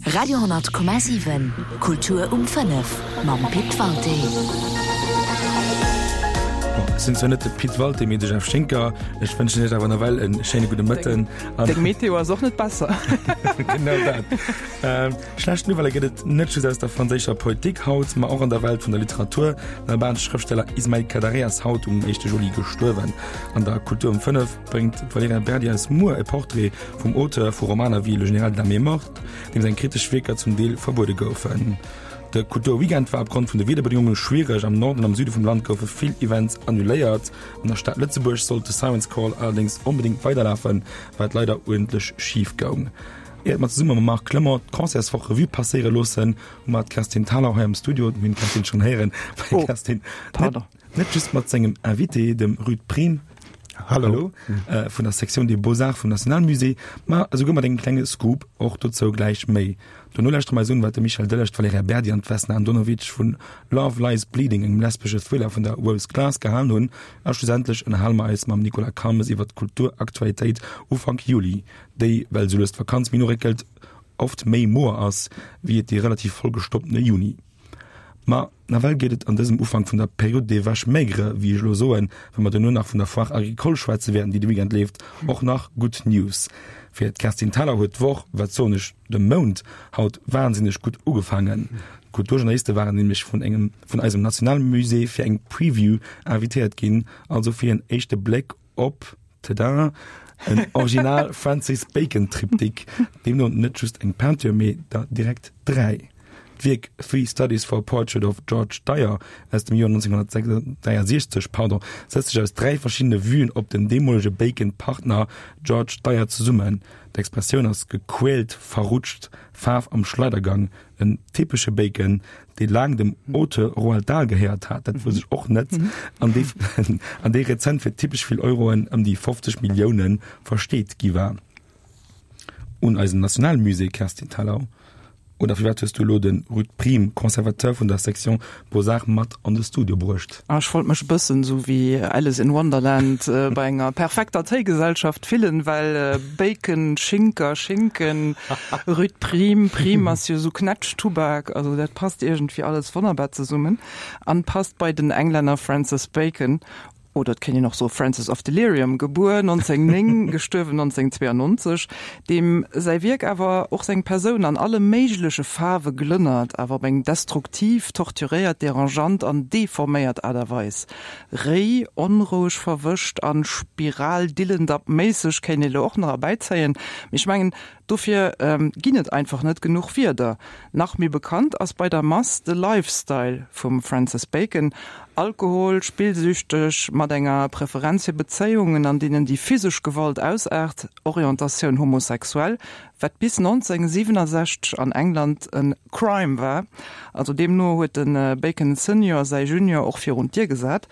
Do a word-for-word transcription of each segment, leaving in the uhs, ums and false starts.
Radio honnert Komma siwen, Kultur um fënnef mam Pit Walté. Bon, ech sinn zwar net de Pit Walté, mee de Jeff Schinker. Ech wënschen iech awer nawell en schéine gudde Mëtten. Deng Meteo ass och net besser. Genau dat. Ähm, schlecht Nouvellë gëtt et net just aus der franséischer Politik haut, ma och an der Welt vun der Literatur. Den albanesche Schrëftsteller Ismail Kadaré ass haut um éischte Juli gestuerwen. An der Kultur um fënnef bréngt d'Valerija Berdi eis muer e Portrait vum Auteur vu Romaner wéi Le Général de la mer morte, deem seng kritesch Wierker zum Deel verbuede goufen. De Kulturweekend war opgrond vun de Wiederbedingunge schwiereg. Am Norden an am Süde vum Land goufe vill Events annuléiert. An der Stad Lëtzebuerg sollt de Siren's Call allerdéngs onbedéngt weiderlafen, wat leider uerdentlech schif goung. Iert mer zesumme mam Marc Clement d'Concertswoch Revue passéiere loossen, hu mer d'Kerstin Thalau hei am Studio. Mir hunn d'Kerstin schonn héieren, well d'Kerstin net just mat sengem Invité, dem Ruud Priem, Hallo. Äh, vun der Sektioun des Beaux-Arts vum Nationalmusée, ma esouguer mat engem klenge Scoop, och dozou gläich méi. Dono lauschtere mer eis un, wat de Michel Delage, d'Valerija Berdi an d'Vesna Andonovic vun Love Lies Bleeding, engem lesbesche Thriller vun der Rose Glass, gehalen hunn. A schlussendlech ënnerhale mer eis mam Nicolas Calmes iwwer d'Kulturaktualitéit Ufank Juli, déi, well esou lues d'Vakanz méi no réckelt, oft méi moer ass, wéi et dee relativ vollgestoppene Juni. Ma nawell geet et an dësem Ufank vun der Période des vaches maigres, wéi ech elo soen, well mer duerno nach vun der Foire agricole schwätze wäerten, déi de Weekend leeft, och nach gutt News. Fir d'Kerstin Thalau huet d'Woch, wat soen ech, de Mount haut wahnsinneg gutt ugefaangen. D'Kulturjournaliste waren nämlech vun engem, vun eisem Nationalmusée fir eng Preview invitéiert ginn, also fir en éischte Bléck op, tada, en original Francis Bacon Triptyque, deemno net just eng Peinture, mee der direkt dräi. D'Wierk Three Studies for a Portrait of George Dyer aus dem Joer nonzénghonnertdräiasiechzeg, pardon, setzt sech aus dräi verschiddene Vuen op den deemolege Bacon-Partner George Dyer zesummen. D'Expressioun ass gequält, verrutscht, Faarf am Schleidergang, en typesche Bacon, dee laang dem Auteur Roald Dahl gehéiert hat, dat wousst ech och net, an dee an dee rezent fir typesch vill Euroen, ëm déi fofzeg Milliounen, versteet gi war. Un eisem Nationalmusée, Kerstin Thalau. Oder firwat hues du elo de Ruud Priem, Conservateur vun der Section Beaux-Arts, mat an de Studio bruecht? Ah, ech wollt mech e bëssen esou wéi Alice in Wonderland bei enger perfekter Téigesellschaft fillen, well Bacon, Schinker, Schinken, Ruud Priem, Priem ass jo esou Knätschtubak, also dat passt iergendwéi alles wonnerbar zesummen an passt bei den Englänner Francis Bacon. Oder et kéint een och soe Francis of Delirium, gebuer nonzéng néng, gestuerwen nonzéng zwéiannonzeg, deem säi Wierk awer och seng Persoun an alle méigleche Faarwe glënnert, awer op eng destruktiv, torturéiert, derangeant an deforméiert Aart a Weis. Réi, onroueg, verwëscht a spiraldillendapp-méisseg kéint ee lo och nach erbäizéien, mee ech mengen, Dofir ginn et einfach net genuch Wierder. Nach méi bekannt ass bei der Mass de Lifestyle vum Francis Bacon, Alkohol, spillsüchteg, mat enger Preferenz fir Bezéiungen, an deenen déi physesch Gewalt ausaart, Orientatioun homosexuell, wat bis nonzéng siwenasechzeg an England e Crime war. Also deemno huet de Bacon Senior säi Junior och virun d'Dier gesat.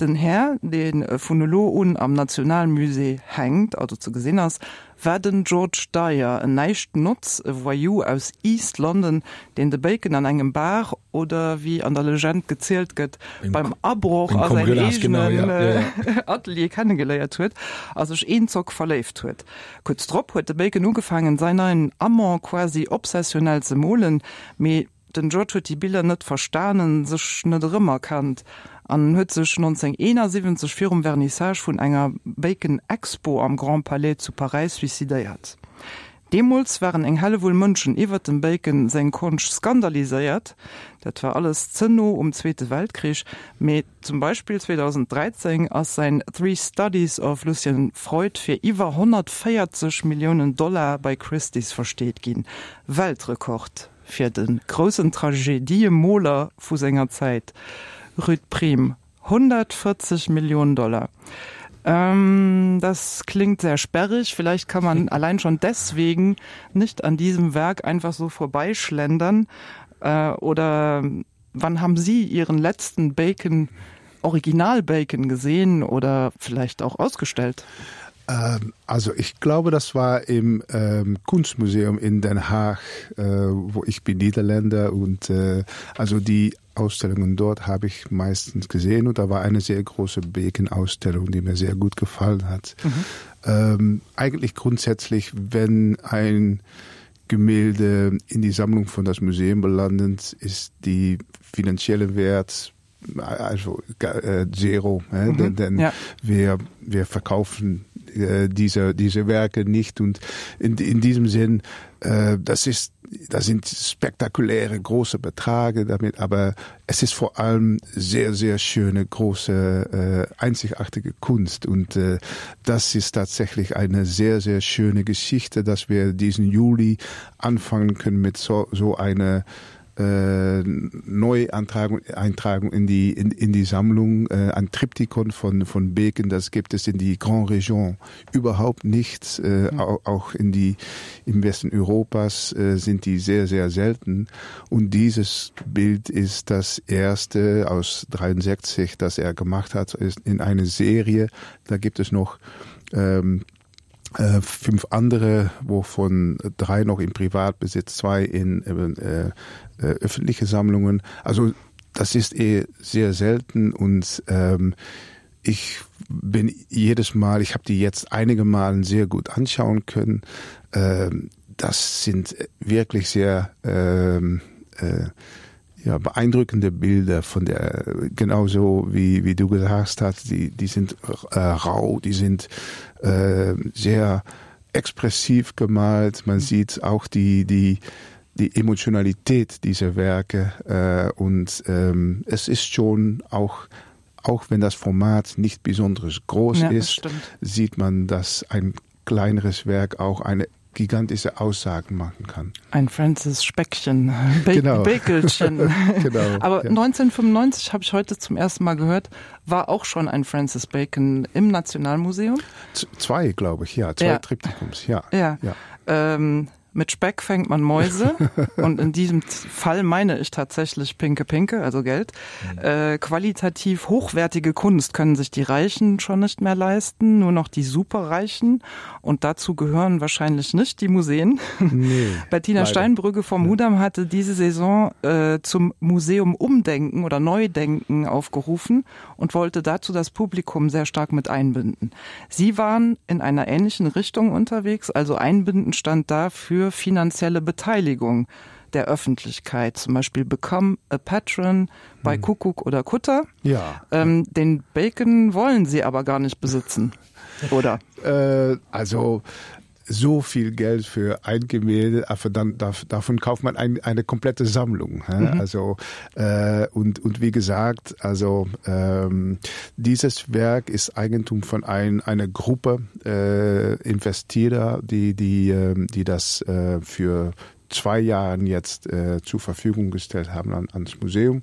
Den Här, dee vun elo un am Nationalmusée hänkt, also ze gesinn ass, war den George Dyer, en Näischtnotz, e Voyou aus East London, deen de Bacon an engem Bar, oder wéi an der Legend gezielt gëtt, beim Abroch a säin eegenen Atelier kennegeléiert huet a sech eenzock verléift huet. Kuerz drop huet de Bacon ugefaangen, säin neien Amant quasi obsessionell ze molen, mee den George huet déi Biller net verstanen, sech net erëmerkannt an huet sech nonzéng eenasiwwenzeg virum Vernissage vun enger Bacon Expo am Grand Palais zu Paräis suicidéiert. Deemools waren eng Hellewull Mënschen iwwert dem Bacon seng Konscht skandaliséiert, dat war alles ze no um Zweete Weltkrich, mee zum Beispill zweedausend dräizéng ass säin Three Studies of Lucian Freud fir iwwer honnertvéierzeg Milliounen Dollar bei Christie's versteet ginn, Weltrekord fir de groussen Tragediemoler vu senger Zäit. Ruud Priem, honnertvéierzeg Millionen Dollar. Ähm, das klingt sehr sperrig. Vielleicht kann man allein schon deswegen nicht an diesem Werk einfach so vorbeischlendern. Äh, oder wann haben Sie Ihren letzten Bacon, Original Bacon gesehen oder vielleicht auch ausgestellt? Ähm, also ich glaube, das war im ähm, Kunstmuseum in Den Haag, äh, wo ich bin Niederländer und äh, also die Ausstellungen dort habe ich meistens gesehen und da war eine sehr große Bacon-Ausstellung, die mir sehr gut gefallen hat. Mhm. Ähm, eigentlich grundsätzlich, wenn ein Gemälde in die Sammlung von das Museum belanden, ist die finanzielle Wert also äh, zero mhm, denn, denn ja. wir wir verkaufen äh, diese diese Werke nicht und in, in diesem Sinn äh, das ist das sind spektakuläre große Beträge damit aber es ist vor allem sehr sehr schöne große äh, einzigartige Kunst und äh, das ist tatsächlich eine sehr sehr schöne Geschichte dass wir diesen Juli anfangen können mit so so einer äh, Neuantragung Eintragung in die in, in die Sammlung äh, ein Triptychon von von Beken das gibt es in die Grand Region überhaupt nichts äh, mhm. auch, auch in die im Westen Europas äh, sind die sehr sehr selten und dieses Bild ist das erste aus dreiundsechzig das er gemacht hat ist in eine Serie da gibt es noch ähm, äh, fünf andere wovon drei noch im Privatbesitz zwei in äh, äh, öffentliche Sammlungen. Also das ist eh sehr selten und ähm, ich bin jedes Mal, ich habe die jetzt einige Malen sehr gut anschauen können. Ähm, das sind wirklich sehr ähm, äh, ja, beeindruckende Bilder von der genauso wie, wie du gesagt hast, die, die sind äh, rau, die sind äh, sehr expressiv gemalt. Man sieht auch die, die, die Emotionalität dieser Werke äh, und ähm, es ist schon auch auch wenn das Format nicht besonders groß ja, ist, sieht man, dass ein kleineres Werk auch eine gigantische Aussagen machen kann. Ein Francis Speckchen ba Bakelchen. genau, Aber ja. neunzehnhundertfünfundneunzig habe ich heute zum ersten Mal gehört, war auch schon ein Francis Bacon im Nationalmuseum. Z zwei, glaube ich, ja, zwei ja. Triptychums, ja. Ja. ja. Ähm, mit Speck fängt man Mäuse und in diesem Fall meine ich tatsächlich pinke Pinke, also Geld. Mhm. Äh, qualitativ hochwertige Kunst können sich die Reichen schon nicht mehr leisten, nur noch die Superreichen und dazu gehören wahrscheinlich nicht die Museen. Nee, Bettina leider. Steinbrügge vom ja. Mudam hatte diese Saison äh, zum Museum Umdenken oder Neudenken aufgerufen und wollte dazu das Publikum sehr stark mit einbinden. Sie waren in einer ähnlichen Richtung unterwegs, also einbinden stand dafür finanzielle Beteiligung der Öffentlichkeit, zum Beispiel Become a Patron bei hm. Kuckuck oder Kutter. Ja. Ähm, den Bacon wollen sie aber gar nicht besitzen, oder? Äh, also so viel Geld für ein Gemälde, aber dann davon kauft man ein, eine komplette Sammlung. Mhm. Also äh, und, und wie gesagt, also ähm, dieses Werk ist Eigentum von ein, einer Gruppe äh, Investierer, die, die, äh, die das äh, für zwei Jahren jetzt äh, zur Verfügung gestellt haben an, ans Museum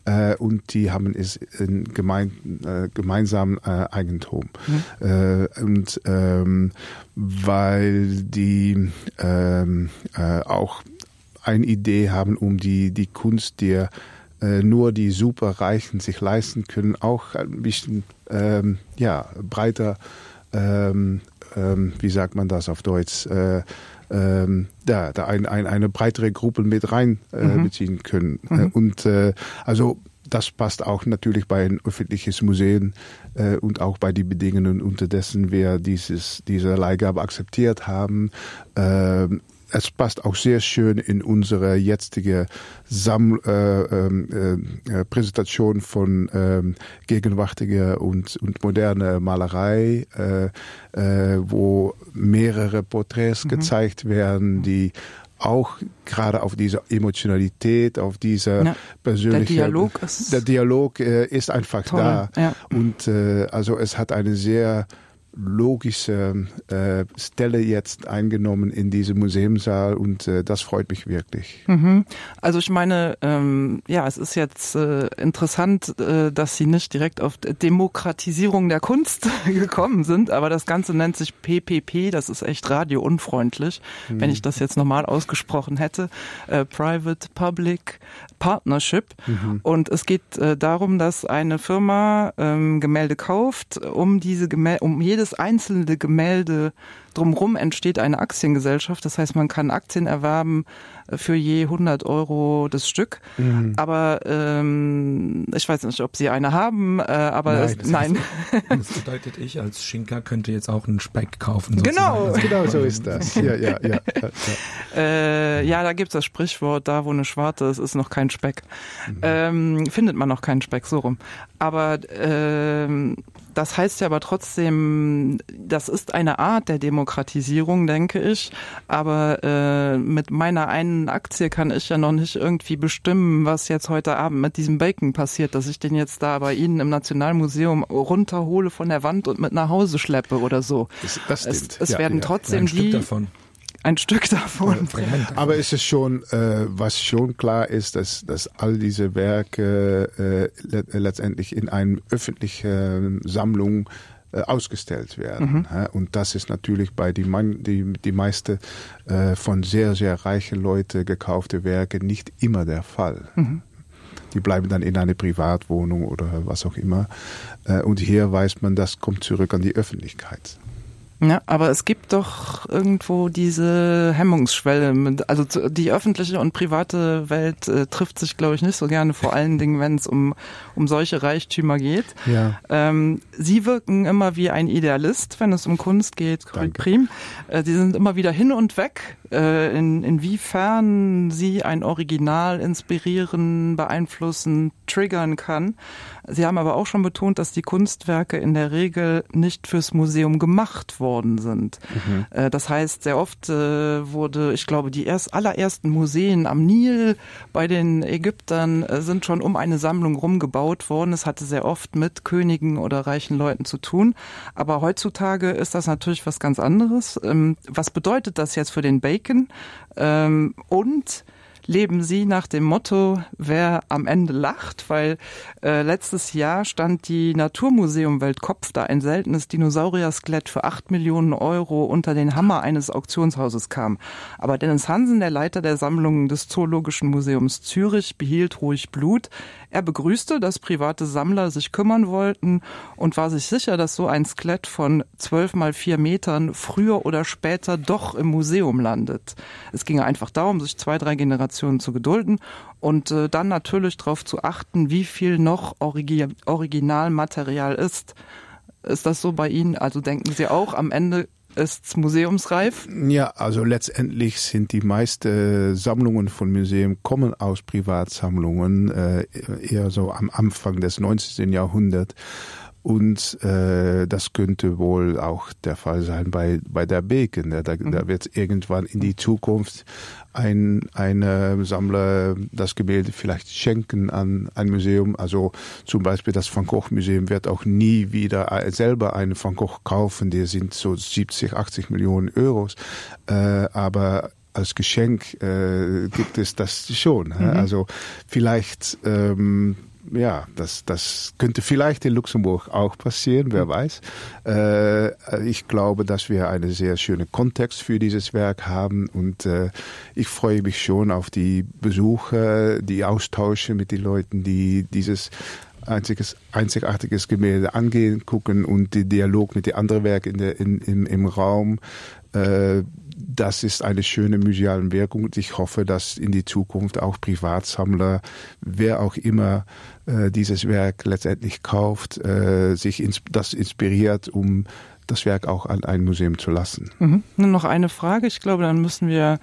äh, und die haben es in gemein, äh, gemeinsamen äh, Eigentum. Mhm. Äh, und ähm, weil die ähm, äh, auch eine Idee haben, um die, die Kunst, die äh, nur die Superreichen sich leisten können, auch ein bisschen ähm, ja, breiter, ähm, ähm, wie sagt man das auf Deutsch, äh, ähm, da, da ein, ein, eine breitere Gruppe mit rein äh, mhm. beziehen können. Mhm. Und äh, also das passt auch natürlich bei ein öffentliches Museum äh, und auch bei die Bedingungen, unter dessen wir dieses, diese Leihgabe akzeptiert haben. Äh, es passt auch sehr schön in unsere jetzige Sam äh, äh, äh, Präsentation von äh, gegenwärtiger und, und moderne Malerei, äh, äh, wo mehrere Porträts mhm. gezeigt werden, die auch gerade auf diese Emotionalität, auf diese ja, persönliche der Dialog ist, der Dialog äh, ist einfach toll, da. Ja. Und äh, also es hat eine sehr logische äh, Stelle jetzt eingenommen in diesem Museumsaal und äh, das freut mich wirklich. Mhm. Also ich meine ähm, ja es ist jetzt äh, interessant, äh, dass sie nicht direkt auf Demokratisierung der Kunst gekommen sind, aber das Ganze nennt sich P P P, das ist echt radiounfreundlich, mhm. wenn ich das jetzt normal ausgesprochen hätte. Äh, Private Public Partnership. Mhm. Und es geht äh, darum, dass eine Firma ähm, Gemälde kauft, um diese Gemälde, um jedes einzelne Gemälde Drumherum entsteht eine Aktiengesellschaft. Das heißt, man kann Aktien erwerben für je hundert Euro das Stück. Mhm. Aber ähm, ich weiß nicht, ob Sie eine haben, äh, aber nein, es, das nein. Heißt, das bedeutet, ich als Schinker könnte jetzt auch einen Speck kaufen. Genau. Genau so ist das. Ja, ja, ja, ja, ja. Äh, ja, da gibt es das Sprichwort, da wo eine Schwarte ist, ist noch kein Speck. Mhm. Ähm, findet man noch keinen Speck, so rum. Aber ähm, das heißt ja aber trotzdem, das ist eine Art der Demokratisierung, denke ich. Aber äh, mit meiner einen Aktie kann ich ja noch nicht irgendwie bestimmen, was jetzt heute Abend mit diesem Bacon passiert, dass ich den jetzt da bei Ihnen im Nationalmuseum runterhole von der Wand und mit nach Hause schleppe oder so. Das, das es es ja, werden ja, trotzdem ein Stück die davon. Ein Stück davon. Aber es ist schon, äh, was schon klar ist, dass, dass all diese Werke äh, letztendlich in einer öffentlichen Sammlung äh, ausgestellt werden. Mhm. Und das ist natürlich bei die, man, die, die meiste äh, von sehr, sehr reichen Leute gekaufte Werke nicht immer der Fall. Mhm. Die bleiben dann in einer Privatwohnung oder was auch immer. Äh, und hier weiß man, das kommt zurück an die Öffentlichkeit. Ja, aber es gibt doch irgendwo diese Hemmungsschwelle. Also die öffentliche und private Welt äh, trifft sich, glaube ich, nicht so gerne, vor allen Dingen, wenn es um, um solche Reichtümer geht. Ja. Ähm, Sie wirken immer wie ein Idealist, wenn es um Kunst geht. Prim. Äh, Sie sind immer wieder hin und weg. Äh, in, inwiefern Sie ein Original inspirieren, beeinflussen, triggern kann. Sie haben aber auch schon betont, dass die Kunstwerke in der Regel nicht fürs Museum gemacht worden sind. Mhm. Das heißt, sehr oft wurde, ich glaube, die erst, allerersten Museen am Nil bei den Ägyptern sind schon um eine Sammlung rumgebaut worden. Es hatte sehr oft mit Königen oder reichen Leuten zu tun. Aber heutzutage ist das natürlich was ganz anderes. Was bedeutet das jetzt für den Bacon? Und leben Sie nach dem Motto, wer am Ende lacht, weil äh, letztes Jahr stand die Naturmuseum Weltkopf, da ein seltenes Dinosaurier-Skelett für acht Millionen Euro unter den Hammer eines Auktionshauses kam. Aber Dennis Hansen, der Leiter der Sammlungen des Zoologischen Museums Zürich, behielt ruhig Blut. Er begrüßte, dass private Sammler sich kümmern wollten und war sich sicher, dass so ein Skelett von zwölf mal vier Metern früher oder später doch im Museum landet. Es ginge einfach darum, sich zwei, drei Generationen zu gedulden und äh, dann natürlich darauf zu achten, wie viel noch Origi Originalmaterial ist. Ist das so bei Ihnen? Also denken Sie auch, am Ende ist's museumsreif? Ja, also letztendlich sind die meisten Sammlungen von Museen kommen aus Privatsammlungen, äh, eher so am Anfang des neunzehnten Jahrhunderts. Und äh, das könnte wohl auch der Fall sein bei, bei der Bacon. Da, da wird irgendwann in die Zukunft ein, ein Sammler das Gemälde vielleicht schenken an ein Museum. Also zum Beispiel das Van Gogh Museum wird auch nie wieder selber einen Van Gogh kaufen. Die sind so siebzig, achtzig Millionen Euros. Äh, aber als Geschenk äh, gibt es das schon. Mhm. Also vielleicht ähm, ja, das, das könnte vielleicht in Luxemburg auch passieren, wer weiß. Äh, ich glaube, dass wir einen sehr schönen Kontext für dieses Werk haben und äh, ich freue mich schon auf die Besuche, die Austausche mit den Leuten, die dieses einziges, einzigartiges Gemälde angehen, gucken und den Dialog mit den anderen Werken in der, in, im, im Raum. Äh, das ist eine schöne museale Wirkung und ich hoffe, dass in die Zukunft auch Privatsammler, wer auch immer, äh, dieses Werk letztendlich kauft, äh, sich ins, das inspiriert, um das Werk auch an ein Museum zu lassen. Mhm. Nur noch eine Frage, ich glaube, dann müssen wir,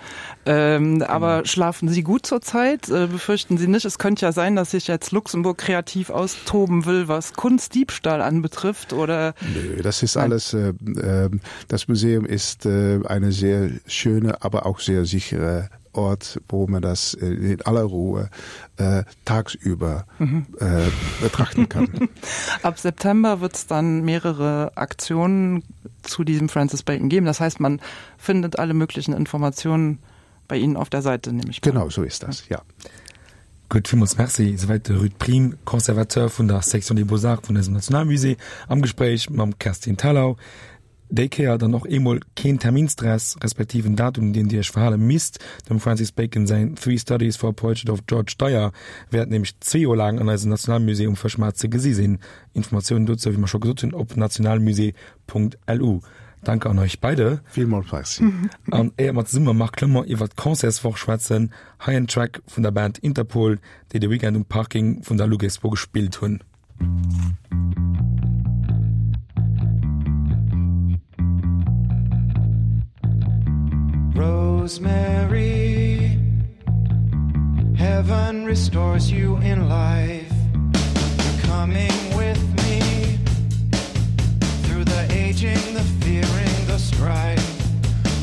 ähm, aber schlafen Sie gut zurzeit? Äh, befürchten Sie nicht? Es könnte ja sein, dass sich jetzt Luxemburg kreativ austoben will, was Kunstdiebstahl anbetrifft, oder? Nö, das ist alles, äh, äh, das Museum ist, äh, eine sehr schöne, aber auch sehr sichere Ort, wo man das in aller Ruhe, äh, tagsüber, mhm. äh, betrachten kann. Ab September wird's dann mehrere Aktionen zu diesem Francis Bacon geben. Das heißt, man findet alle möglichen Informationen bei Ihnen auf der Seite, nehme ich an. Genau, so ist das, ja. Gutt, villmools Merci. Souwäit de Ruud Priem, Conservateur vun der Section des Beaux-Arts vun eisem Nationalmusée, am Gespréich mam Kerstin Thalau. Déi Kéier dann och eemol keen Terminstress, respektiv en Datum, un deen Dir Iech verhale misst. Dem Francis Bacon säin Three Studies for a Portrait of George Dyer wäert nämlech zwee Joer laang an eisem Nationalmusée um Fëschmaart ze gesi sinn. Informatiounen dozou, wéi mer scho gesot hunn, op nationalmusée Punkt lu. Danke an euch beide. Villmools Merci. An éier mer zesumme mam Marc Clement iwwer d'Concertswoch schwätzen, hei en Track vun der Band Interpol, déi de Weekend um Parking vun der Luxexpo gespillt hunn. Rosemary Heaven restores you in life You're coming with me Through the aging, the fearing, the strife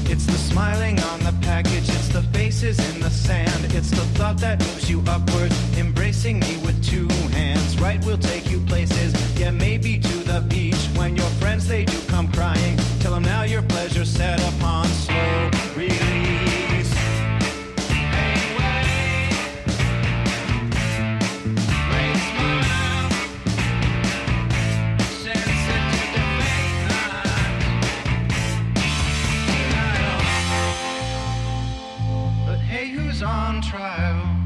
It's the smiling on the package, it's the faces in the sand It's the thought that moves you upward, embracing me with two hands Right will take you places, yeah maybe to the beach When your friends they do come crying, tell them now your pleasure set upon slow release Anyway, great smile, sensitive debate, denial. But hey, who's on trial?